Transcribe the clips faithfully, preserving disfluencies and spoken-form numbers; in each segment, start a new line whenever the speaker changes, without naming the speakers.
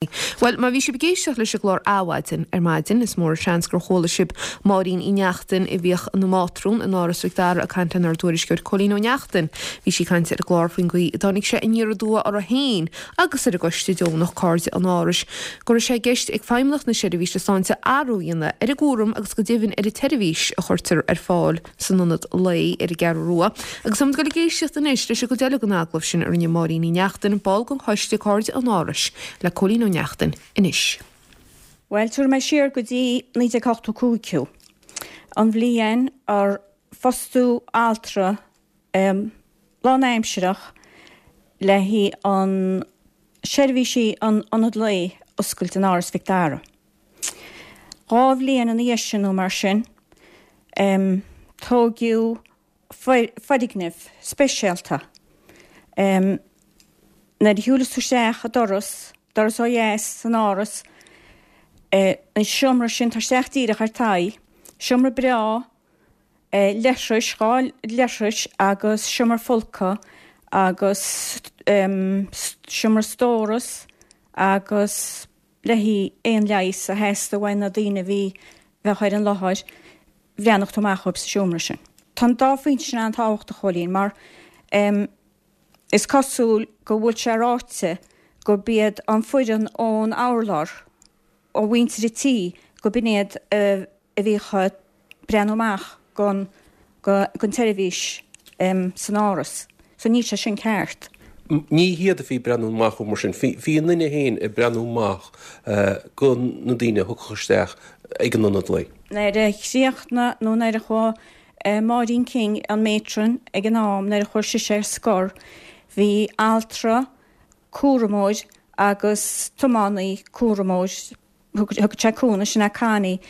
Bhuel, má bhí sibh ag éisteacht leis an gclár Adhmhaidin ar maidin, is mór an seans gur chuala sibh Máirín Uí Neachtain a bhíodh ina mátrún in Áras Mhic Dara ag caint lenár dtuairisceoir Cóilín Ó Neachtain. Bhí sí ag caint ar an gclár faoin gcaoi a dtáinig sé aniar aduaidh uirthi féin agus ar an gcoiste deonach Cairde an Árais go raibh sé i gceist ag Feidhmeannacht na Seirbhíse Sláinte athrú a dhéanamh ar an gcúram agus go deimhin ar an tseirbhís a chuirtear ar fáil san ionad lae ar an gCeathrú Rua. Agus táimid ag dul ag éisteacht anois leis an gcuid eile den agallamh sin a rinne Máirín Uí Neachtain, ball den choiste Cairde an Árais, le Cóilín Ó Neachtain anois.
Bhuel, tabharfaidh mé siar go dtí naoi déag ochtó cúig thú. An bhliain ar fostú altra lánaimsearach le haghaidh an seirbhísí an ionad lae a oscailt in Áras Mhic Dara. Dhá bhliain ina dhiaidh sin nó mar sin, tóigeadh foirgneamh speisialta. Nuair a shiúlas tú isteach an doras, doras ó dheas san áras, an seomra sin, tá isteach díreach ar t'aghaidh, seomra breá, leithris, dhá leithris agus seomra folctha agus seomra stóras agus le haghaidh aon leigheas a theastaigh uaidh na daoine a bhí, bheadh ar an láthair, bhreathnódh tú amach dhóibh sa seomra sin. Tá an dá phointe sin an-tábhachtach, a Chóilín, mar is cosúil go bhfuil sé ráite gurb iad an foireann ón urlár, ó mhuintir an tí, go b'in iad a bhíodh ag breathnú amach gon gon tseirbhís san áras. So níl sé sin ceart.
Ní hiad a bhí ag breathnú amach mar sin. Bhí an duine féin ag breathnú amach go na daoine a thiocfadh isteach ag an ionad lae.
Nuair a chríochnaigh nó nuair a chuaigh Máirín King, an matron ag an am, nuair a chuaigh sise ar scor, bhí altra, cúramóir agus tiománaí cúramóir, thug sé cúnamh, sin é Connie,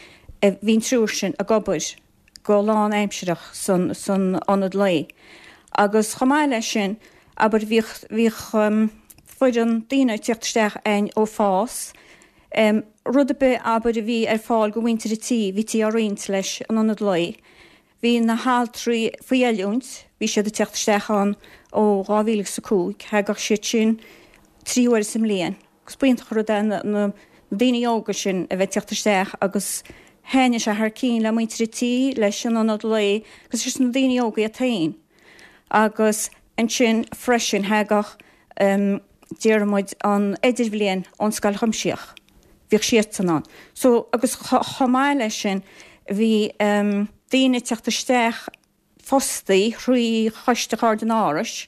bhí an triúr sin ag obair go lánaimsearach san san ionad lae. Agus chomh maith leis sin, abair, bhíodh bhíodh foireann daoine ag tíocht isteach a'inn ó FÁS, rud ar bith, abair, a bhí ar fáil go mhuintir an tí, bhítí á roinnt leis an ionad lae. Bhí na haltraí faoi oiliúint, bhí siad ag teacht isteach ann ó dhá mhíle agus a cúig, thagadh siad sin trí huaire sa mbliain agus b'iontach an rud é na daoine óga sin a bheith ag teacht isteach agus thaitnigh sé thar cinn le muintir an tí, leis an ionad lae agus leis na daoine óga iad féin. Agus ansin freisin thagadh, déarfaidh muid, an idirbhliain ón Scoil Chuimsitheach, bhíodh siadsan ann. So, agus chomh maith leis sin bhí daoine ag teacht isteach fostaí thrí Choiste Chairde an Árais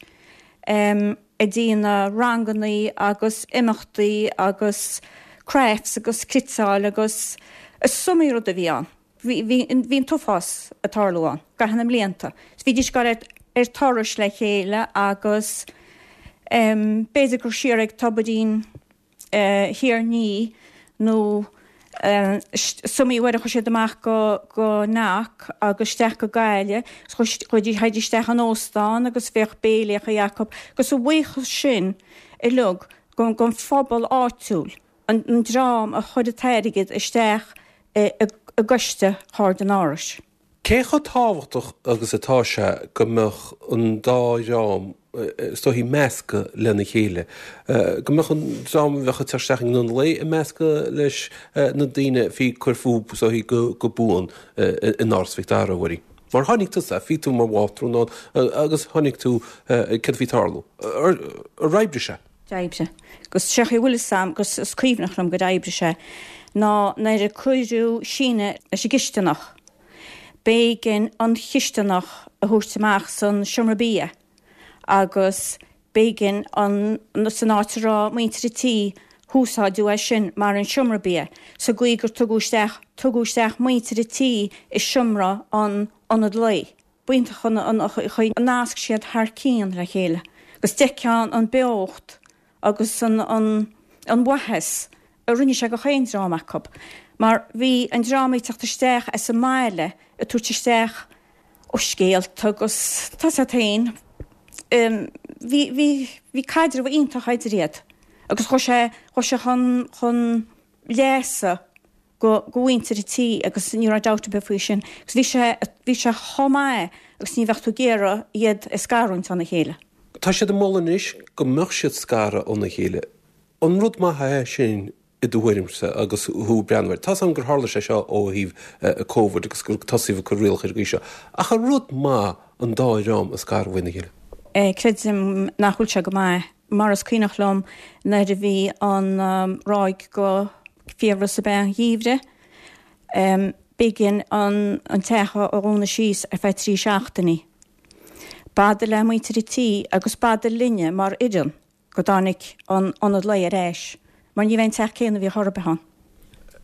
ag déanamh rangannaí agus imeachtaí agus crafts agus cniotáil agus is iomaí rud a bhí ann. Bhí, bhí, bhí an t-uafás ag tarlú ann i gcaitheamh na mblianta. Bhídís ag gabháil ar, ar turais le chéile agus b'fhéidir gur siar ag Tobairín Thír an Fhia nó is iomaí uair a chuaigh siad amach go, go Knock agus isteach go Gaillimh, chuaigh, théidís isteach in óstán agus bheadh béilíochaí acu agus a bhuíochas sin uilig gon, gon phobal áitiúil, an, an dream a chuir an t-airgead isteach i, i, i gcoiste Chairde an Árais.
Cé chomh tábhachtach agus atá sé go mbeadh an dá dhream, is dóichí, measctha lena chéile? Go mbeadh an dream a bheadh ag teacht isteach ag an ionad lae ag meascadh leis na daoine a bhí ag cur fúthu, is dóichí, go buan in Áras Mhic Dara, a Mháirín? Mar chonaic tusa, bhí tú mar mhátrún ann agus chonaic tú céard a bhí ag tarlú. Ar oibrigh sé?
D'oibrigh. Agus sé chaoi a bhfuil fhios a'm, agus is cuimhneach liom gur oibrigh sé, ná nuair a cuireadh síneadh leis an gcisteanach, b'éigean an chisteanach a thabhairt amach san seomra bia agus b'éigean an, san áit a raibh muintir an tí, húsáideadh é sin mar an seomra bia, sa gcaoi gur tugadh isteach, tugadh isteach muintir an tí i seomra an ionad lae. B'iontach an chaoi a nasc siad thar cionn le chéile agus d'fheicfeá an beocht agus an an mhaitheas a rinne sé go chaon dream acu mar bhí an dream ag teacht isteach as an mbaile ag tabhairt isteach ó scéalta agus tá 's a't féin bhí bhí bhí caidreamh iontach idir iad agus chuaigh sé chuaigh sé chun chun leasa go go mhuintir an tí agus ní raibh dabht ar bith faoi sin. Agus bhí sé bhí sé chomh maith agus ní bheadh tú ag iarraidh iad a scarúint óna chéile.
Tá siad ag moladh anois go mbeadh siad scartha óna chéile. An rud maith é sin i do thuairimse agus thú ag breathnú air? Tá's agam gur tharla sé seo ó thaobh Covid agus gur tosaíodh ag cur rialacha ar an gcaoi seo. Ach an rud maith an dá dhream a scaradh óna chéile?
Creidim nach bhfuil sé go maith. Mar is cuimhneach liom nuair a bhí an ráig go fiabhras ab ea an gheimhridh, b'éigean an teach a dhúnadh síos ar feadh trí seachtainí. B'fhada le muintir an tí agus b'fhada linne mar fhoireann go dtáinig an ionad lae ar ais, mar ní bheidh an teach céanna a bhí chor ar bith ann.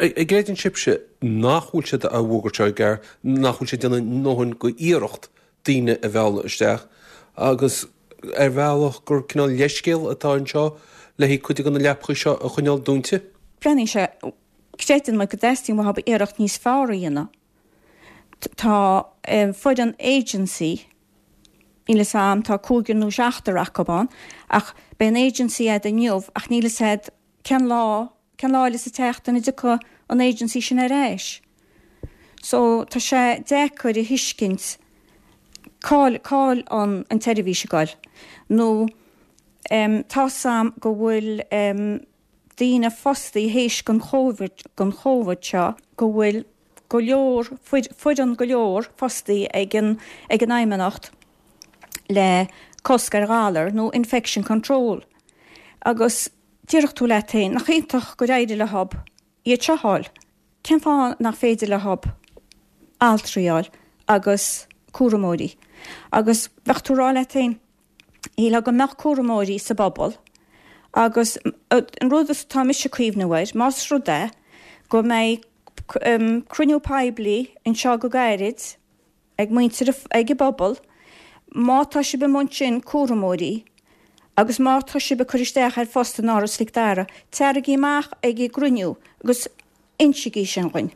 An gcreideann sibhse nach bhfuil siad á bhfógairt seo i gceart, nach bhfuil siad ag déanamh a ndóthain go iarracht daoine a mhealladh isteach agus ar bhealach gur cineál leithscéal atá anseo le haghaidh cuid de na leapacha seo a choinneáil dúnta?
Breathnaíonn sé, creideann muid go dteastaíonn uathu iarracht níos fearr a dhéanamh. Tá foireann agency, níl fhios a'm, tá cúigear nó seachtar acu ann, ach beidh an agency a'd inniu ach níl fhios a'd cén lá, cén lá eile sa tseachtain a dtiocfaidh an agency sin ar ais. So tá sé deacair a thuiscint cá'il, cá'il an, an tseirbhís ag goil. Nó em tá's a'm go bhfuil em daoine fostaí théis den Chóivid, den Chóivid seo, go bhfuil go leor, foireann go leor fostaí ag an, ag an Fheidhmeannacht le cosc ar ghalar nó infection control. Agus déarfadh tú leat féin, nach iontach gur éirigh leo iad seo a fháil? Cén fáth nach féidir leo altraí a fháil agus cúramóirí? Agus bheadh tú ag rá leat féin, shílfeá go mbeadh cúramóirí sa bpobal agus an rud atá mise ag cuimhneamh air, más rud é go mbeidh cruinniú poiblí anseo go gairid ag muintir, ag an bpobal, má tá sibh amuigh ansin cúramóirí agus má tá sibh ag cur isteach ar phost in Áras Mhic Dara, taraigí amach ag an gcruinniú agus insigí sin dhuinn.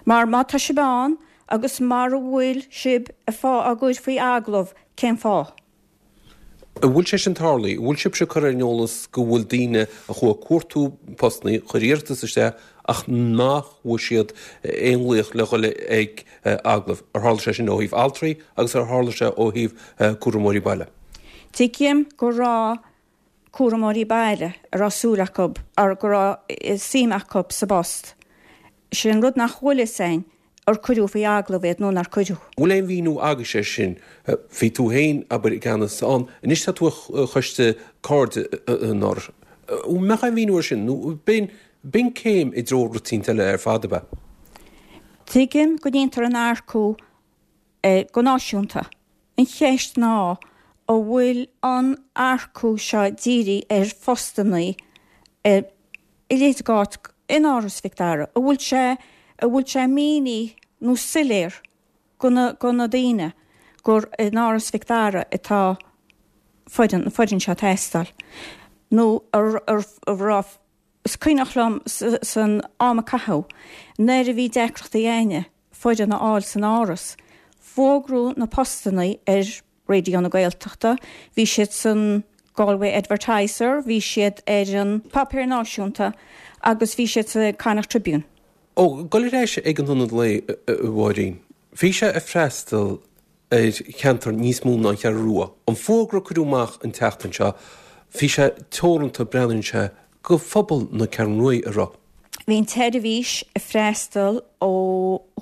Mar má tá sibh ann agus mara bhfuil sibh á gcur faoi agallamh, cén fáth?
An bhfuil sé sin tarlaithe? An bhfuil sibhse curtha ar an eolas go bhfuil daoine a chuaigh ag cuartú postanna, chuir iarratas isteach ach nach bhfuair siad aon ghlaoch le dhul ag agallamh? Ar tharla sé sin ó thaobh altraí agus ar tharla sé ó thaobh cúramóirí baile?
Tuigim go raibh cúramóirí baile a raibh súil acu, go raibh suim acu sa bpost. Sin an rud nach bhfuil fhios a'inn. Ar cuireadh faoi agallamh iad nó nár cuireadh?
Bhfuil aon mhíniú agaibhse air sin? Bhí tú féin, abair, i gceannas ann, anois tá tú ar choiste Cairde an Árais. An mbeadh aon mhíniú air sin nó b'in, b'in céim i dtreo rud eicínt eile ar fad, ab ea?
Tuigim go ndéantar an earcú go náisiúnta. An cheist ná an bhfuil an earcú seo dírithe ar phostannaí i leithéid d'áit in Áras Mhic Dara, an bhfuil sé, an bhfuil sé mínithe nó soiléir go na, go na daoine gur in Áras Mhic Dara atá foireann, an foireann seo ag teastáil nó ar, ar, ar raibh, is cuimhneach liom san am a caitheadh nuair a bhí deacrachtaí a'inne foireann a fháil san Áras, fógraíodh na postannaí ar Raidió na Gaeltachta, bhí siad san Galway Advertiser, bhí siad ar an Páipéar Náisiúnta agus bhí siad sa Connacht Tribune.
Ó, dul ar ais ag an Ionad Lae, a Mháirín. Bhí sé ag freastal ar cheantar níos mó ná an Cheathrú Rua. An fógra a cuireadh amach an tseachtain seo, bhí sé teoranta, breathnaíonn sé, go phobal na Ceathrún Ruaidh, an raibh?
Bhí an tseirbhís ag freastal ó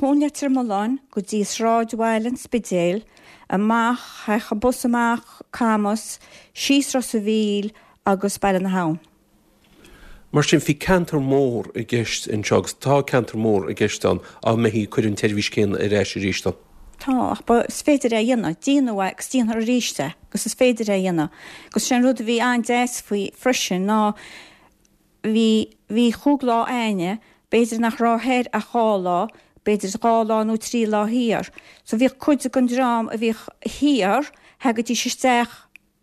Thóin Leitir Mealláin go dtí sráidbhaile an Spidéil, amach, thagadh an bus amach Camas, síos Ros a' Mhíl agus Baile na hAbhann.
Mar sin, bhí ceantar mór i gceist anseo agus tá ceantar mór i gceist ann dá mbeifí ag cur an tseirbhís céanna ar ais arís ann.
Tá, ach ba, is féidir é a dhéanamh. Déanadh é agus déanfar arís é agus is féidir é a dhéanamh. Agus sé an rud a bhí an-deas faoi freisin ná bhí, bhí chúig lá a'inne, b'fhéidir nach raibh thoir ach dhá lá, b'fhéidir dhá lá nó trí lá thiar. So bhíodh cuid den dream a bhíodh thiar, thagaidís isteach,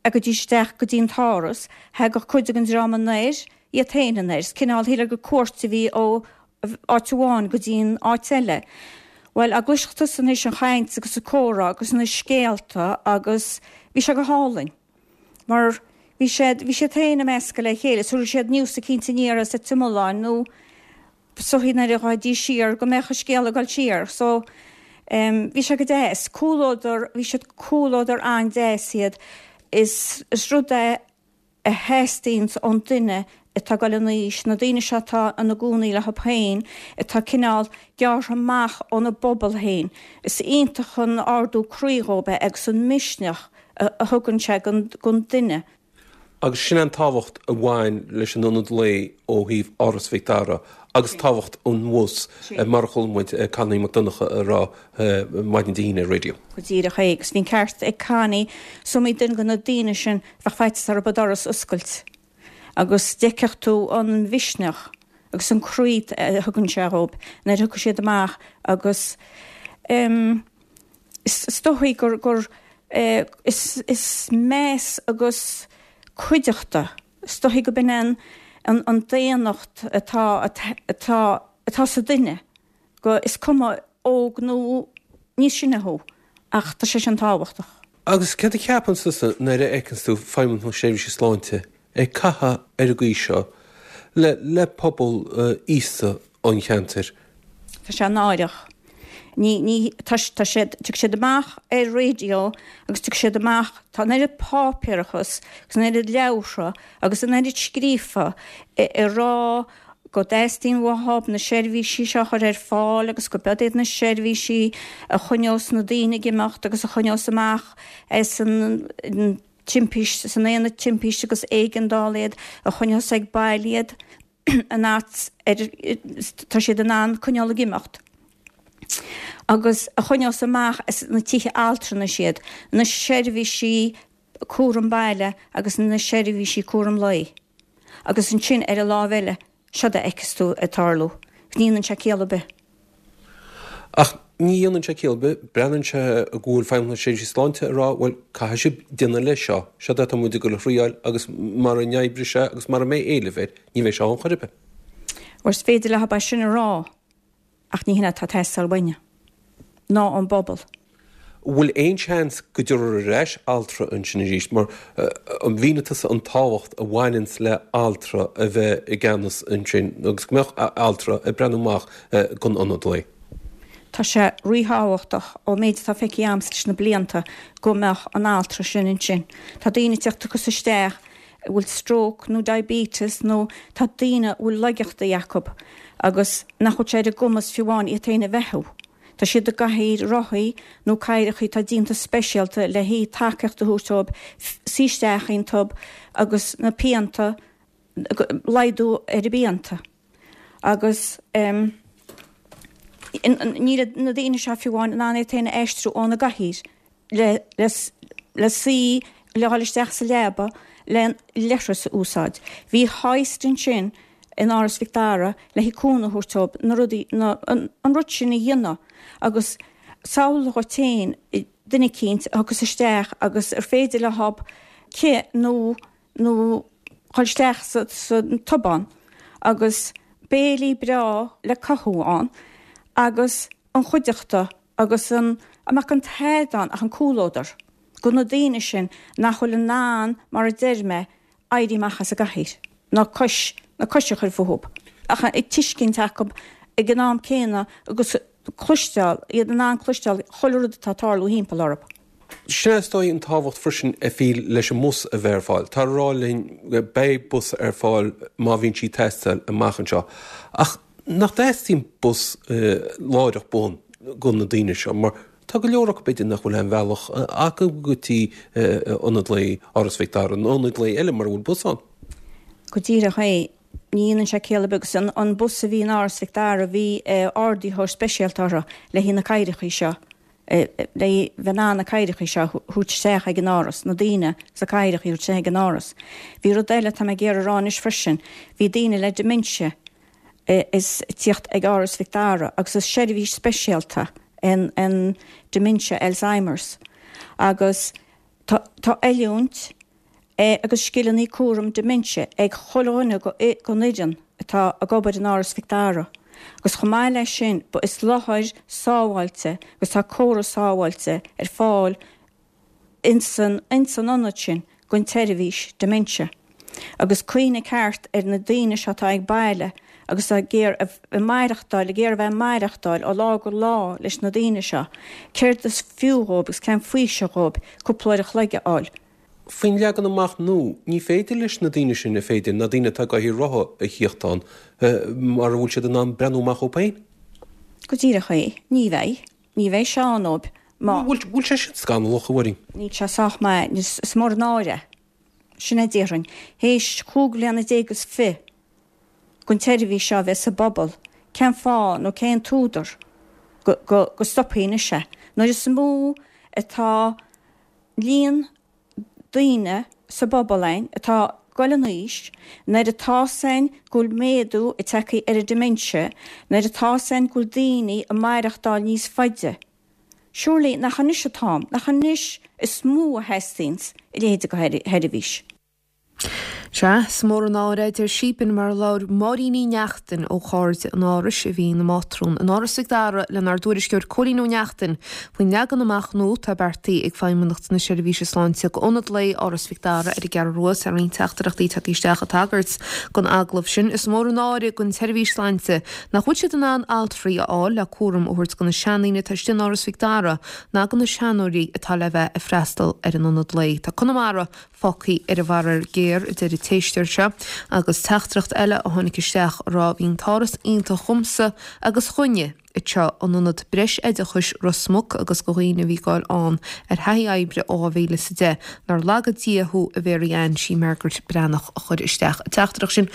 thagaidís isteach go dtí an t-áras, thagadh cuid den dream anoir, iad féin anoir. Is cineál, shílfeá gur cuairt a bhí ó áit amháin go dtí an áit eile. Bhuel, a gcloisfeadh tusa anois an chaint agus an comhrá agus na scéalta agus bhí sé go hálainn. Mar bhí siad, bhí siad féin ag meascadh le chéile, so raibh siad news eicínt aniar as Leitir Mealláin nó so nuair a ghabhaidís siar go mbeadh an scéal ag dul siar. So em bhí sé go deas. Comhluadar, bhí siad comhluadar an-deas iad. Is, is rud é a theastaíonns ón duine atá ag dul in aois, na daoine seo atá ina gcónaí leo féin, atá cineál gearrtha amach óna bpobal féin, is iontach an ardú croí dhóibh é agus an misneach a thugann sé don duine.
Agus sin an tábhacht a bhain leis an ionad lae ó thaobh Áras Mhic Dara agus tábhacht an bhus mar a chuala muid Connie Mac Donncha a rá maidin Dé hAoine ar raidió.
Go díreach é, agus bhí an ceart ag Connie, is iomaí duine de na daoine sin bheadh faitíos orthu an doras a oscailt agus d'fheicfeadh tú an mhisneach agus an croí a thugann sé dhóibh nuair a thiocfaidh siad amach agus is dóigh gur gur is is meas agus cuideachta, is dóigh go b'in an an daonnacht atá atá atá sa duine, go is cuma óg nó níos sine thú, ach tá sé sin tábhachtach.
Agus céard a cheapann tusa nuair a fheiceann tú Feidhmeannacht na Seirbhíse Sláinte ag caitheamh ar an gcaoi seo le le pobal aosta an cheantair?
Tá sé náireach. Ní, ní, tá, tá siad, tiocfaidh siad amach ar raidió agus tiocfaidh siad amach, tá an oiread páipéarachas agus an oiread leabhartha agus an oiread scríofa ag rá go dteastaíonn uathub na seirbhísí seo a chur ar fáil agus go b'iod iad na seirbhísí a choinneos na daoine ag imeacht agus a choinneos amach as an timpist, san aonad timpiste agus éigeandála iad, a choinneos ag baile iad an áit ar tá siad in ann coinneáil ag imeacht. Agus a choinneos amach as na tithe altranais iad, na seirbhísí cúram baile agus na seirbhísí cúram lae. Agus ansin ar an lámh eile, seod a fheiceas tú ag tarlú. Ní dhéanann sé ciall ar bith.
Ach ní dhéanann sé ciall ar bith, breathnaíonn sé go bhfuil Feidhmeannacht na Seirbhíse Sláinte ag rá, bhuel, caithfidh sibh déanamh leis seo, seod é atá muid ag dul a thriáil agus mara n-oibreoidh sé agus mara mbeidh éileamh air, ní bheidh sé ann chor ar bith.
Bhuel, is féidir leo é sin a rá, ach ní hin atá ag teastáil uainne, ná ón bpobal.
Bhfuil aon seans go dtabharfar ar ais altra ansin arís? Mar an mhínigh tusa an tábhacht a bhaineanns le altra a bheith i gceannas ansin agus go mbeadh altra ag breathnú amach don ionad lae.
Tá sé ríthábhachtach, ón méid atá feicthe a'msa leis na blianta, go mbeadh an altra sin ansin. Tá daoine ag teacht agus isteach a bhfuil stroke nó diabetes nó tá daoine a bhfuil laigeachtaí acu agus nach bhfuil sé ar a gcumas fiú amháin iad féin a bheathú. Tá siad i gcathaoir rothaí nó cathaoireachaí atá déanta speisialta le haghaidh tacaíocht a thabhairt dóibh suí isteach iontub agus na pianta, laghdú ar a bpianta. Agus níl na daoine seo fiú amháin in ann iad féin a aistriú óna gcathaoir le le suí, le dhul isteach sa leaba le leithreas a úsáid. Bhí hoist ansin in Áras Mhic Dara le haghaidh cúnamh a thabhairt dóibh na rudaí, na, an, an rud sin a dhéanamh agus samhlaigh dhuit féin duine eicínt a thiocfas isteach agus ar féidir leob cith nó, nó dhul isteach sa, sa tobán agus béilí breá le cothú ann agus an chuideachta agus an, a mbeadh an t-ádh ann ach an comhluadar go na daoine sin nach bhfuil in ann, mar a deir mé, éirí amach as a gcathaoir, ná cois, na cois a chur fúthub, ach ag tuiscint acu ag an am céanna agus cloisteáil, iad in ann cloisteáil chuile rud atá ag tarlú thimpeall orthu.
Sin é is dóigh an tábhacht freisin a bhí leis an mbus a bheith ar fáil. Tá a rá linn go beidh bus ar fáil má bhíonn sí ag teastáil amach anseo. Ach nach dteastaíonn bus láithreach bonn do na daoine seo mar tá go leor acu b'fhéidir nach bhfuil aon bhealach acu go dtí ionad lae Áras Mhic Dara nó ionad lae eile mura bhfuil bus ann.
Go díreach é. Ní dhéanann sé ciall ar bith agus an bus a bhí in Áras Mhic Dara bhí ardaitheoir speisialta orthu le haghaidh na cathaoireachaí seo, le bheith in ann na cathaoireachaí seo a thabhairt isteach ag an áras, na daoine sna cathaoireachaí a thabhairt isteach ag an áras. Bhí rud eile atá mé ag iarraidh a rá anois freisin, bhí daoine le dementia is ag tíocht ag Áras Mhic Dara agus is seirbhís speisialta an an dementia Alzheimer's agus tá tá oiliúint agus scileanna cúram dementia ag chuile dhuine gon fhoireann atá ag obair in Áras Mhic Dara agus chomh maith leis sin ba is láthair sábháilte agus tá córas sábháilte ar fáil insan insan ionad sin don tseirbhís dementia. Agus cuimhnigh ceart ar na daoine seo atá ag baile agus ag iarraidh a maireachtáil, ag iarraidh a bheith ag maireachtáil ó lá go lá leis na daoine seo, céard is fiú dhóibh agus cén faoiseamh dhóibh cúpla uair a chloig a fháil?
Faoin leagan amach nua, ní féidir leis na daoine sin a féidir, na daoine atá i gcathaoir rotha a thíocht ann mara bhfuil siad in ann breathnú amach dhóibh féin.
Go díreach é. Ní bheidh. Ní bheidh sé ann dóibh má.
Bhfuil sé sin scannalach, a Mháirín?
Níl sé sách maith. Is mór an náire é. Sin é déarfainn. Théis chúig bhliana déag is fiche den tseirbhís seo a bheith sa bpobal, cén fáth nó cén t-údar go go stopfaí anois é? Nuair is mó atá líon daoine sa bpobal againn atá ag goil in aois, nuair atá's againn go bhfuil méadú ag teacht ar an dementia, nuair atá's againn go bhfuil daoine ag maireachtáil níos faide, surely nach anois an t-am, nach anois is mó a theastaíonns a leithéid de sheirbhís.
Sea, is mór an náire, a deir sí, b'in mar a labhair Máirín Uí Neachtain ó Chairde an Árais, a bhí ina mátrún in Áras Mhic Dara lenár dtuairisceoir Cóilín Ó Neachtain faoin leagan amach nua atá beartaithe ag Feidhmeannacht na Seirbhíse Sláinte d'Ionad Lae Áras Mhic Dara ar an gCeathrú Rua. Tá roinnt teachtaireachtaí tagtha isteach ag tagairt don agallamh sin. Is mór an náire don tseirbhís sláinte nach bhfuil siad in ann altraí a fháil le cúram a thabhairt do na seandaoine atá istigh in Áras Mhic Dara ná do na seanóirí atá le bheith ag freastal ar an ionad lae. Tá Conamara fágtha ar an bhfaraor géar, a deir an t-éisteoir seo, agus teachtaireacht eile a tháinig isteach a rá bhí an t-áras iontach dhomsa agus dhuine anseo in Ionad Breis-Oideachais Ros Muc agus do dhaoine a bhí ag goil ann ar thaithí oibre ó dhá mhíle is a deich. Nár laga Dia thú a Mhary Ann, sí Margaret Breathnach a chuir isteach an teachtaireacht sin.